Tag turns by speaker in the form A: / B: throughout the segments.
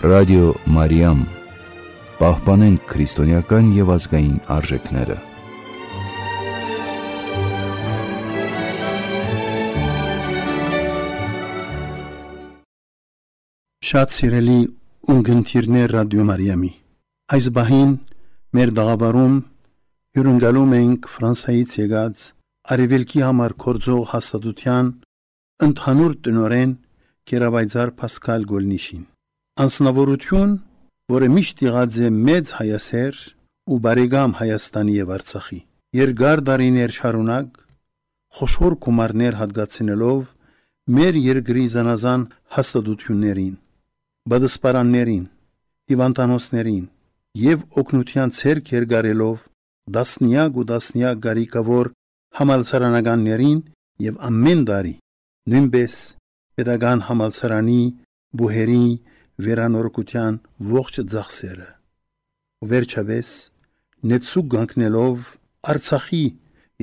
A: Ռադիո Մարիամ, պահպանենք քրիստոնեական և ազգային արժեքները։
B: Շատ սիրելի ունգընտիրներ Ռադիո Մարիամի, այս բահին մեր դաղավարում հյուրընկալում ենք Ֆրանսիայից եկած Արևելքի համար գործող հաստատության ընդհանուր տնօրեն Կերապայծառ Փասկալ Գոլնիշին։ Անձնավորություն, որը միշտ եղած է մեծ հայասեր ու բարեկամ Հայաստանի և Արցախի, երկար տարիներ շարունակ խոշոր գումարներ հատկացնելով մեր երկրի զանազան հաստատություններին, բադսպարաններին, հիվանդանոցներին և օգնության ցերկ երկարելով տասնյակ ու տասնյակ կարիքավոր համալսարանականներին և ամեն տարի նույնպես պետական համալսարանի բուհերի վերանորոգության ողջ ծախսերը, վերջապես նեցուկ կանգնելով Արցախի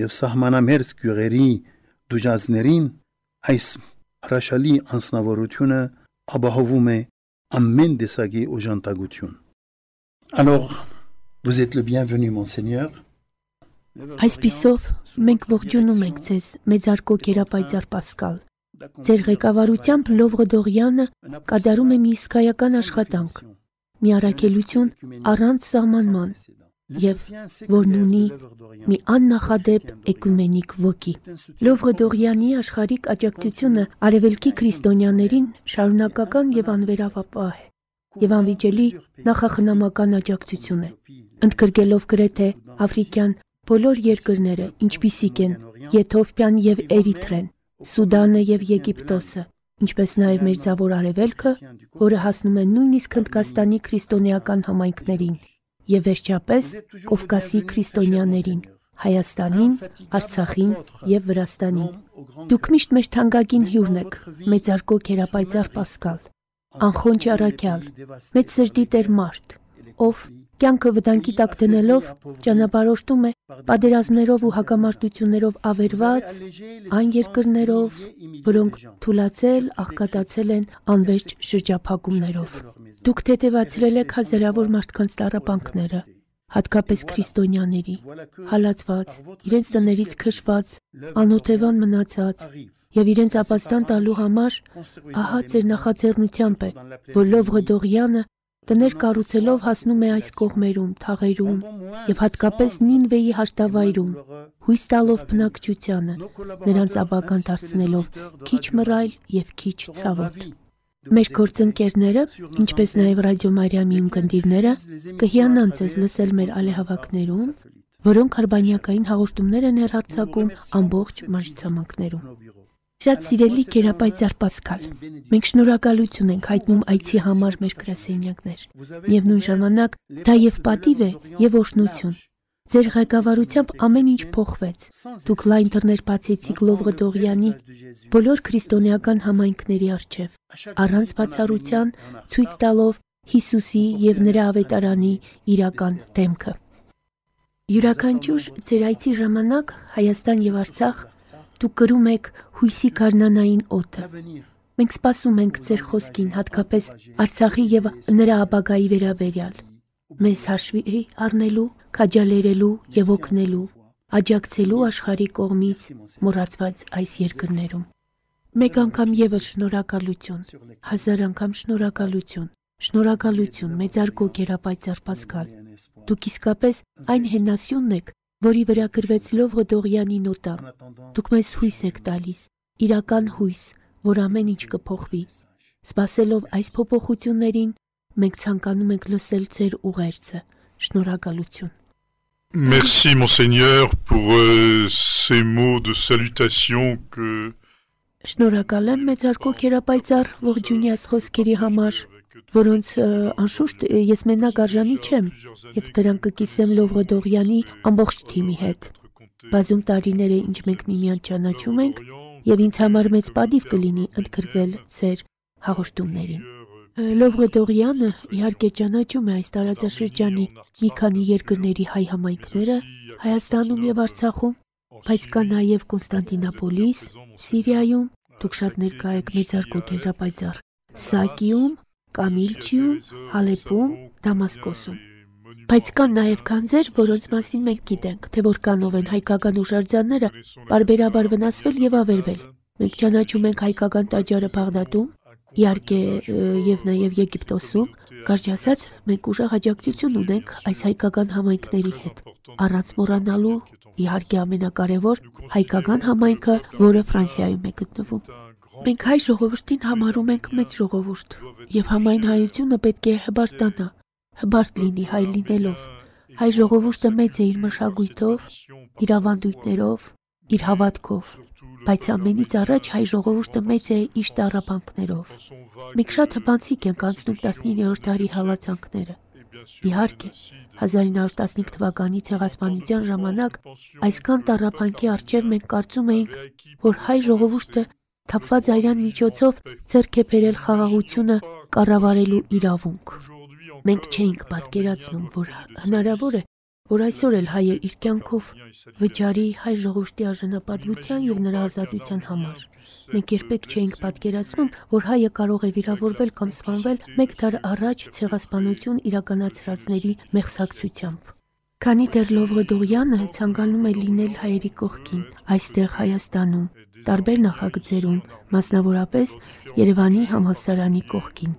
B: և սահմանամերձ գյուղերի դուժածներին, այս հրաշալի անձնավորությունը ապահովում է ամեն տեսակի օժանդակություն։ Alors, vous êtes le bienvenu, monseigneur.
C: Այսպիսով, մենք ողջունում ենք ձեզ, մեծարգո Կերապայծառ Պասկալ։ Ձեր ղեկավարությամբ Լովրը Դողյանը կատարում է մի իսկայական աշխատանք, մի առաքելություն առանց սահմանման և որն ունի մի աննախադեպ էկումենիկ ոգի։ Լովրը Դողյանի աշխարհիկ աջակցությունը արևելքի քրիստոնյաներին շարունակական և անվերապահ է և անվիճելի նախախնամական աջակցություն է, ընդգրկելով գրեթե աֆրիկյան բոլոր երկրները, ինչպիսիք են Եթովպիան և Էրիթրեն, Սուդանը և Եգիպտոսը, ինչպես նաև Մերձավոր Արևելքը, որը հասնում է նույնիսկ Հնդկաստանի քրիստոնեական համայնքներին, և վերջապես Կովկասի քրիստոնյաներին, Հայաստանին, Արցախին և Վրաստանին։ Դուք միշտ մեր թանկագին հյուրն եք, մեծարգո Կերապայծառ Պասկալ, անխոնջ առաքյալ, մեծ սրտի տեր մարդ, ով կյանքը վտանգի տակ դնելով ճանապարհորդում է պատերազմներով ու հակամարտություններով ավերված այն երկրներով, որոնք թուլացել, աղքատացել են անվերջ շրջափակումներով։ Դուք թեթևացրել եք հազարավոր մարդկանց տառապանքները, հատկապես քրիստոնյաների, հալածված, իրենց տներից քշված, անօթևան մնացած և իրենց ապաստան տալու համար ահա ձեր նախաձեռնությամբ է, որ Լովրը Դողյանը տներ կառուցելով հասնում է այս կողմերում, թաղերում և հատկապես Նինվեի հաշտավայրում, հույս տալով բնակչությանը, նրանց ապագան դարձնելով քիչ մռայլ և քիչ ցավոտ։ Մեր գործընկերները, ինչպես նաև Ռադիո Մարիամի ունկնդիրները, կհիանան ձեզ լսել մեր ալեհավաքներում, որոնք արբանյակային հաղորդումներ են հեռարձակում ամբողջ մարզցամաքներում։ Շատ սիրելի Կերապայծառ Պասկալ, մենք շնորհակալություն ենք հայտնում այցի համար մեր գրասենյակներ։ Միևնույն ժամանակ դա և պատիվ է, և օրհնություն։ Ձեր ղեկավարությամբ ամեն ինչ փոխվեց։ Դուք լայն դռներ բացեցիք Լովրը Դողյանի բոլոր քրիստոնեական համայնքների առջև, առանց բացառության ցույց տալով Հիսուսի և նրա ավետարանի իրական դեմքը։ Յուրաքանչյուր ձեր այցի ժամանակ Հայաստան և Արցախ դուք կրում եք հույսի գարնանային օդը։ Մենք սպասում ենք ձեր խոսքին, հատկապես Արցախի և նրա ապագայի վերաբերյալ, մեզ հաշվի առնելու, քաջալերելու և օգնելու, աջակցելու աշխարհի կողմից մոռացված այս երկրներում։ Մեկ անգամ ևս շնորհակալություն, հազար անգամ շնորհակալություն, շնորհակալություն, մեծարգո Կերապայծառ Պասկալ։ Դուք իսկապես այն հենասյունն եք, որի վրա գրվեց Լովրը Դողյանի նոտա։ Դուք մեզ հույս եք տալիս, իրական հույս, որ ամեն ինչ կփոխվի։ Սպասելով այս փոփոխություններին, մենք ցանկանում ենք լսել ձեր ուղերձը։ Շնորհակալություն։
D: Merci monseigneur pour ces mots de salutation que
C: Շնորհակալ եմ մեծարգո Կերապայծառ ողջունյաց խոսքերի համար, որոնց անշուշտ ես մենակ արժանի չեմ, և դրանք կկիսեմ Լովրը Դողյանի ամբողջ թիմի հետ։ Բազում տարիներ է, ինչ մենք միմյանց ճանաչում ենք, և ինձ համար մեծ պատիվ կլինի ընդգրկվել ձեր հաղորդումներին։ Լովրը Դողյանը իհարկե ճանաչում է այս տարածաշրջանի մի քանի երկրների հայ համայնքները Հայաստանում և Արցախում, բայց կա նաև Կոնստանտինոպոլիս, Սիրիայում, դուք շատ ներկա եք մեծարգո Կերապայծառ, Սակիում, Կամիլչիում, Հալեպում, Դամասկոսում։ Բայց կան նաև քանձեր, որոնց մասին մենք գիտենք, թե որքանով են հայկական ուժարձանները պարբերաբար վնասվել եւ ավերվել։ Մենք ճանաչում ենք հայկական տաճարը Բաղդադում, իհարկե եւ նաեւ Եգիպտոսում, կարճ ասած, մենք ուժեղ աջակցություն ունենք այս հայկական համայնքների հետ։ Առանց մոռանալու, իհարկե ամենակարևոր, հայկական համայնքը, որը Ֆրանսիայում է գտնվում։ Մենք հայ ժողովրդին համարում ենք մեծ ժողովուրդ, եւ համայն հայությունը պետք է հբարտանա, հբարտ լինի հայ լինելով։ Հայ ժողովուրդը մեծ է իր մշակույթով, իր ավանդույթներով, իր հավատքով, բայց ամենից առաջ հայ ժողովուրդը մեծ է իր տառապանքներով։ Մենք շատ հպանցիկ ենք անցնում 19-րդ դարի հալածանքները։ Իհարկե, 1915 թվականի ցեղասպանության ժամանակ այսքան տառապանքի առջև մենք կարծում էինք, որ հայ ժողովուրդը թափված այրան միջոցով ձեռք է բերել խաղաղությունը կառավարելու իրավունք։ Մենք չէինք պատկերացնում, որ հնարավոր է, որ այսօր էլ հայը իր կյանքով վճարի հայ ժողովրդի արժանապատվության եւ նրա ազատության համար։ Մենք երբեք չէինք պատկերացնում, որ հայը կարող է վիրավորվել կամ սպանվել մեկ դար առաջ ցեղասպանություն իրականացրածների մեղսակցությամբ։ Քանի դեռ Լովրդորյանը ցանկանում է լինել հայերի կողքին, այստեղ Հայաստանում, տարբեր նախագծերում, մասնավորապես Երևանի համալսարանի կողքին։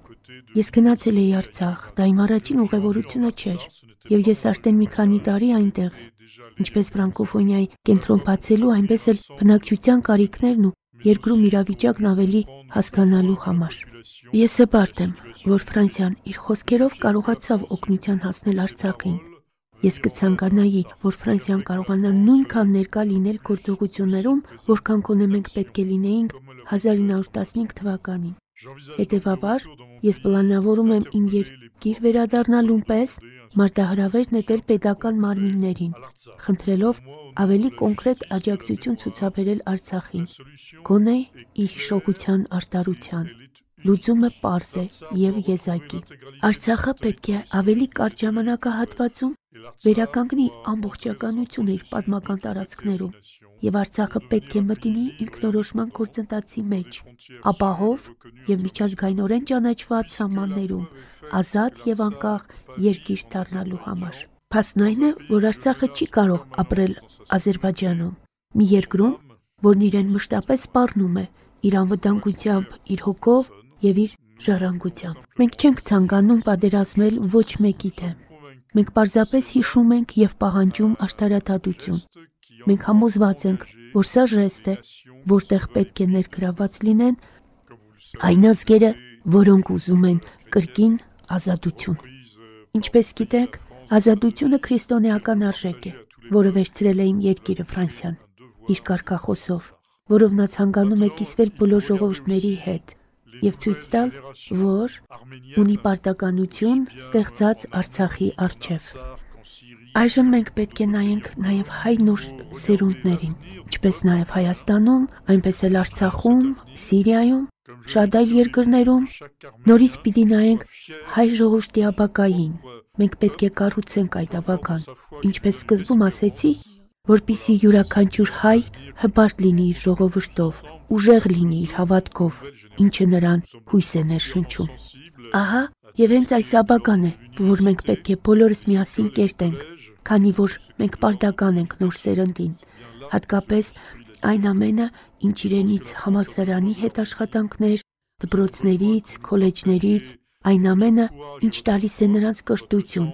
C: Ես գնացել էի Արցախ, դա իմ առաջին ուղևորությունը չէր, եւ ես արդեն մի քանի տարի այնտեղ եմ։ Ինչպես ֆրանկոֆոնիայի կենտրոն բացելու, այնպես էլ բնակչության կարիքներն ու երկրում իրավիճակն ավելի հասկանալու համար։ Ես հպարտ եմ, որ Ֆրանսիան իր խոսքերով կարողացավ օգնության հասնել Արցախին։ Ես կցանկանայի, որ Ֆրանսիան կարողանա նույնքան ներկա լինել գործողություններում, որքան կոնե մենք պետք է լինեինք 1915 թվականին։ Հետևաբար, ես պլանավորում եմ իմ երկիր վերադառնալուն պես մարտահրավեր նետել պետական մարմիններին, խնդրելով ավելի կոնկրետ աջակցություն ցուցաբերել Արցախին, գոնե իր հիշողության արտարության։ Լուծումը պարզ է եւ եզակի։ Արցախը պետք է ավելի կարճ ժամանակահատվածում վերականգնի ամբողջականությունը իր պատմական տարածքներում, եւ Արցախը պետք է մտնի ինքնորոշման գործընթացի մեջ, ապահով եւ միջազգայինորեն ճանաչված սահմաններում, ազատ եւ անկախ երկիր դառնալու համար։ Փաստն այն է, որ Արցախը չի կարող ապրել Ադրբեջանում, մի երկրում, որն իրեն մշտապես սպառնում է իր անվտանգությամբ, իր հոգով եւ իր ժառանգությամբ։ Մենք չենք ցանկանում պատերազմել ոչ մեկի դեմ։ Մենք պարզապես հիշում ենք եւ պահանջում արդարադատություն։ Մենք համոզված ենք, որ սա ժեստ է, որտեղ պետք է ներգրաված լինեն այն ազգերը, որոնք ուզում են կրկին ազատություն։ Ինչպես գիտեք, ազատությունը քրիստոնեական արժեք է, որը վերցրել է իմ երկիրը Ֆրանսիան, իր կարգախոսով, որով նա ցանկանում է կիսվել բոլոր ժողովուրդների հետ եւ ցույց տալ, որ ունի պարտականություն ստեղծած Արցախի առջև։ Այժմ մենք պետք է նայենք նաեւ հայ նոր սերունդներին, ինչպես նաեւ Հայաստանում, այնպես էլ Արցախում, Սիրիայում, շատ այլ երկրներում, նորից պիտի նայենք հայ ժողովրդի ապագային։ Մենք պետք է կառուցենք այդ ապագան, ինչպես սկզբում ասեցի, որպիսի յուրաքանչյուր հայ հպարտ լինի իր ժողովրդով, ուժեղ լինի իր հավատքով, ինչը նրան հույս է ներշնչում։ Ահա, եւ հենց այս ապագան է, որ մենք պետք է բոլորս միասին կերտենք, քանի որ մենք պարտական ենք նոր սերնդին, հատկապես այն ամենը, ինչ իրենից համալսարանի հետ աշխատանքներ, դպրոցներից, քոլեջներից, այն ամենը, ինչ տալիս է նրանց կրթություն։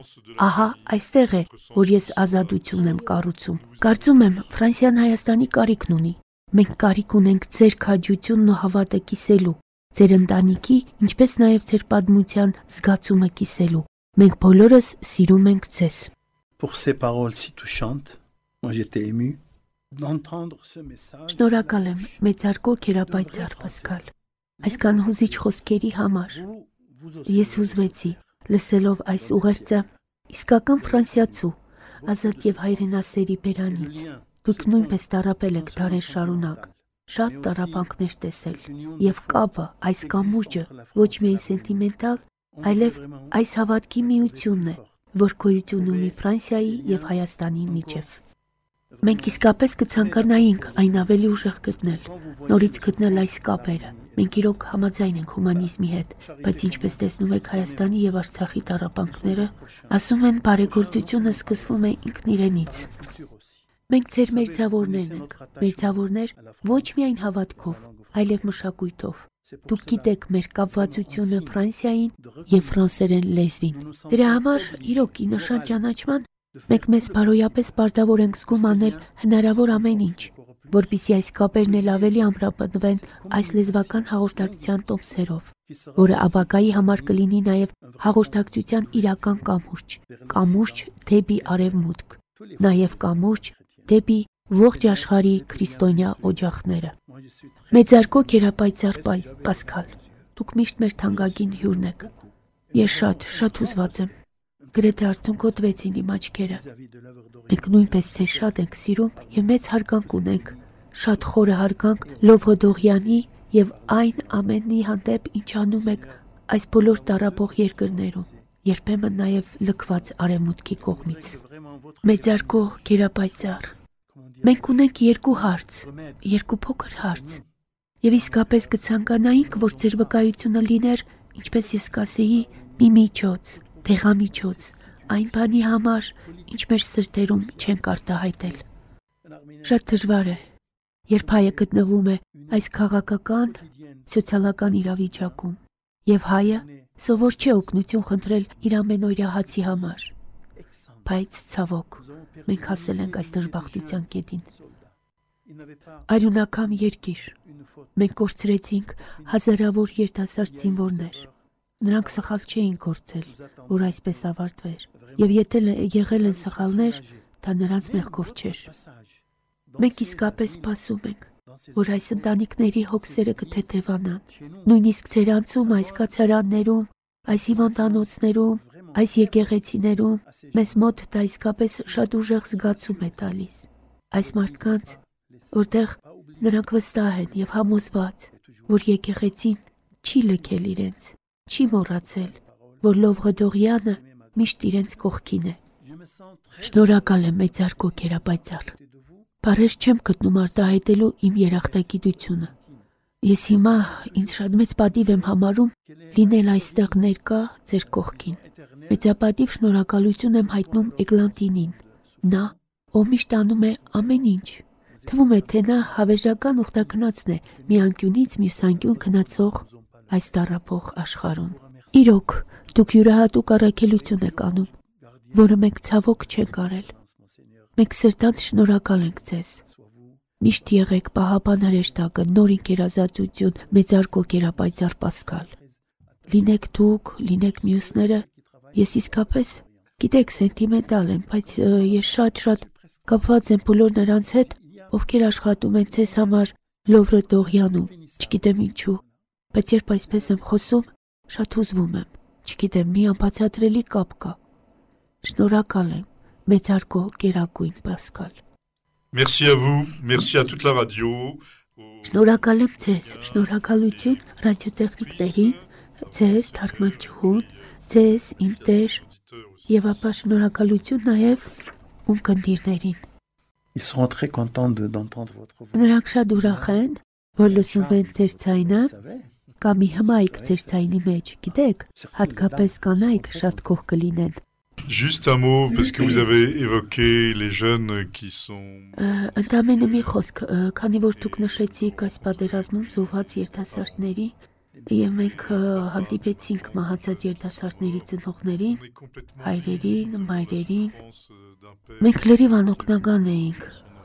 C: Ահա, այստեղ է, որ ես ազատություն եմ կառուցում։ Կարծում եմ, Ֆրանսիան Հայաստանի կարիքն ունի։ Մենք կարիք ունենք ձեր քաջությունն ու հավատը կիսելու, ձեր ընտանիքի, ինչպես նաև ձեր պատմության զգացումը կիսելու։ Մենք բոլորս սիրում ենք ձեզ։
B: Pour ces paroles si touchantes, moi j'étais ému d'entendre ce message.
C: Շնորհակալ եմ մեծարգո քերապայծառ Պասկալ։ Այսքան հուզիչ խոսքերի համար։ Ես հուզվեցի, լսելով այս ուղերձը իսկական ֆրանսիացու, ազատ եւ հայրենասերի բերանից։ Դուք նույնպես տառապել եք դարեր շարունակ, շատ տառապանքներ տեսել, եւ կապը, այս կամուրջը ոչ միայն սենտիմենտալ, այլև այս հավատքի միությունն է, որ գոյություն ունի Ֆրանսիայի եւ Հայաստանի միջև։ Մենք իսկապես կցանկանայինք այն ավելի ուժեղ գտնել, նորից գտնել այս կապերը, Մենք իրոք համաձայն ենք հումանիզմի հետ, բայց ինչպես տեսնում եք Հայաստանի եւ Արցախի տառապանքները, ասում են բարեգործությունը սկսվում է ինքն իրենից։ Մենք ձեր մերձավորներն ենք, մերձավորներ ոչ միայն հավատքով, այլև մշակույթով։ Դուք գիտեք մեր կապվածությունը Ֆրանսիային եւ ֆրանսերեն լեզվին։ Դրա համար իրոք ի նշան ճանաչման մենք մեզ բարոյապես պարտավոր ենք զգում անել հնարավոր ամեն ինչ, որպեսզի այս կապերն էլ ավելի ամրապնդվեն այս լեզվական հաղորդակցության տոմսերով, որը ապագայի համար կլինի նաև հաղորդակցության իրական կամուրջ դեպի արևմուտք, նաև կամուրջ դեպի ողջ աշխարհի քրիստոնյա օջախները։ Մեծարգո Գերապայծառ Պասկալ, դուք միշտ մեր թանկագին հյուրն եք։ Ես շատ հուզված եմ։ Գրեթե արցունքոտվեցին իմ աչքերը։ Մենք նույնպես ձեզ շատ ենք սիրում եւ մեծ հարգանք ունենք, շատ խորը հարգանք Լովրդողյանի եւ այն ամենի հանդեպ, ինչ անում եք այս բոլոր տառապող երկրներում, երբեմն նաեւ լքված արևմուտքի կողմից։ Մեծարգո Գերապայծառ, մենք ունենք երկու փոքր հարց, եւ իսկապես կցանկանայինք, որ ձեր վկայությունը լիներ, ինչպես ես կասեի, մի միջոց, դեղամիջոց, այն բանի համար, ինչ մեր սրտերում չենք արտահայտել։ Շատ դժվար է, երբ հայը գտնվում է այս քաղաքական, սոցիալական իրավիճակում, եւ հայը սովոր չէ օգնություն խնդրել իր ամենօրյա հացի համար։ Բայց ցավոք, մենք հասել ենք այս դժբախտության կետին։ Արյունակամ երկիր, մենք կորցրեցինք հազարավոր երիտասարդ զինվորներ։ Նրանք սխալ չէին գործել, որ այսպես ավարտվեր, եւ եթե եղել են սխալներ, դա նրանց մեղքով չէր։ Մենք իսկապես սպասում ենք, որ այս ընտանիքների հոգսերը կթեթևանան, նույնիսկ ձեր անցում այս կացարաններում, այս հիվանդանոցներում, այս եկեղեցիներում, մեզ մոտ դա իսկապես շատ ուժեղ զգացում է տալիս։ Այս մարդկանց, որտեղ նրանք վստահ են եւ համոզված, որ եկեղեցին չի լքել իրենց, չի մոռացել, որ Լովրդողյանը միշտ իրենց կողքին է։ Շնորհակալ եմ Մեծարգո Գերապայծառ։ Բառեր չեմ գտնում արտահայտելու իմ երախտագիտությունը։ Ես հիմա ինձ շատ մեծ պատիվ եմ համարում լինել այստեղ ներկա ձեր կողքին։ Մեծապատիվ շնորհակալություն եմ հայտնում Էգլանտինին, նա, ով միշտ անում է ամեն ինչ։ Թվում է, թե նա հավերժական ուխտակնածն է մի անկյունից մյուս անկյուն քնացող այս տառապող աշխարհում։ Իրոք, դուք յուրահատուկ առաքելություն եք անում, որը մենք ցավոք չենք արել։ Մենք սրտանց շնորհակալ ենք ձեզ։ Միշտ եղեք պահապան հրեշտակը, նոր ինքերազատություն, Մեծարգո Գերապայծառ Պասկալ։ Լինեք դուք, լինեք մյուսները, ես իսկապես, գիտեք, սենտիմենտալ եմ, բայց ես շատ կապված եմ բոլոր նրանց հետ, ովքեր աշխատում են ձեզ համար Լովրդողյանում, չգիտեմ ինչու, բայց երբ այսպես եմ խոսում, շատ հուզվում եմ, չգիտեմ, մի անբացատրելի կապ կա։ Շնորհակալ եմ, Մեծարգո Գերագույն Պասկալ։
D: Merci à vous, merci à toute la radio.
C: Շնորհակալ եմ ձեզ, շնորհակալություն ռադիոտեխնիկներին, ձեզ թարգմանչուհուն, ձեզ իմ տեր, եւ ապա շնորհակալություն նաեւ ում կնդիրներին։
B: Ils seront très contents d'entendre votre voix.
C: Նրանք շատ ուրախ են, որ լսում են ձեր ձայնը, կամ մի հմայք ձեր ձայնի մեջ, գիտեք, հատկապես կանայք շատ գող կլինեն։
D: Juste un mot, parce que vous avez évoqué les jeunes qui sont...
C: Ընդամենը մի խոսք, քանի որ դուք նշեցիք այս պատերազմում զոհված երիտասարդների, եւ մենք հանդիպեցինք մահացած երիտասարդների ծնողներին, հայրերին, մայրերին, մենք լրիվ անօգնական էինք,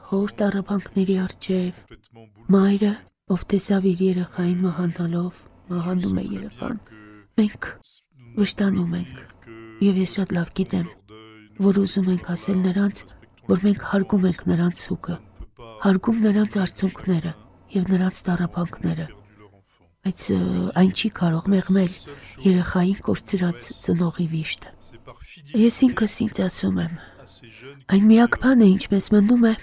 C: հոր տառապանքների առջև, մայրը, ով տեսավ իր երեխային մահանում է երեխան, մենք վշտանում ենք, եւ ես շատ լավ գիտեմ, որ ուզում ենք ասել նրանց, որ մենք հարգում ենք նրանց հոգը, հարգում նրանց արցունքները եւ նրանց տառապանքները, բայց այն չի կարող մեղմել երեխային կորցրած ծնողի վիշտը։ Ես ինքս ինձ ասում եմ, այն միակ բանը, ինչ մեզ մնում է,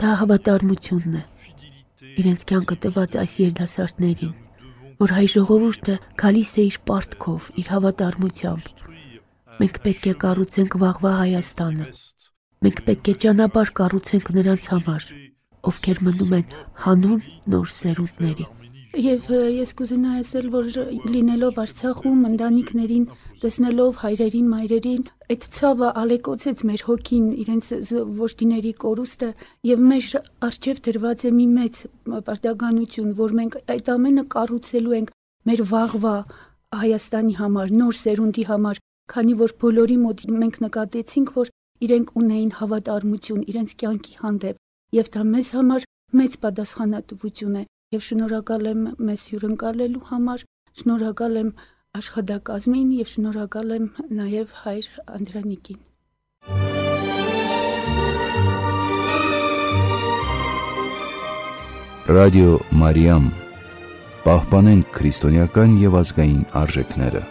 C: դա հավատարմությունն է, իրենց կյանքը տված այս երիտասարդներին, որ հայ ժողովուրդը գալիս է իր պարտքով, իր հավատարմությամբ։ Մենք պետք է կառուցենք վաղվա Հայաստանը, մենք պետք է ճանապարհ կառուցենք նրանց համար, ովքեր մնում են հանուն նոր սերունդների։ Եվ ես կուզենայի ասել, որ լինելով Արցախում, ընտանիքներին տեսնելով հայրերին, մայրերին, այդ ցավը ալեկոծեց մեր հոգին, իրենց ոշտիների կորուստը, եւ մեր առջև դրված է մի մեծ պարտականություն, որ մենք այդ ամենը կառուցելու ենք մեր վաղվա Հայաստանի համար, նոր սերունդի համար, քանի որ բոլորի մոտ մենք նկատեցինք, որ իրենք ունեին հավատարմություն իրենց կյանքի հանդեպ, եւ դա մեզ համար մեծ պատասխանատվություն է, եւ շնորհակալ եմ մեզ հյուրընկալելու համար, շնորհակալ եմ աշխատակազմին եւ շնորհակալ եմ նաեւ հայր Անդրանիկին։
A: Ռադիո Մարիամ, պահպանենք քրիստոնեական եւ ազգային արժեքները։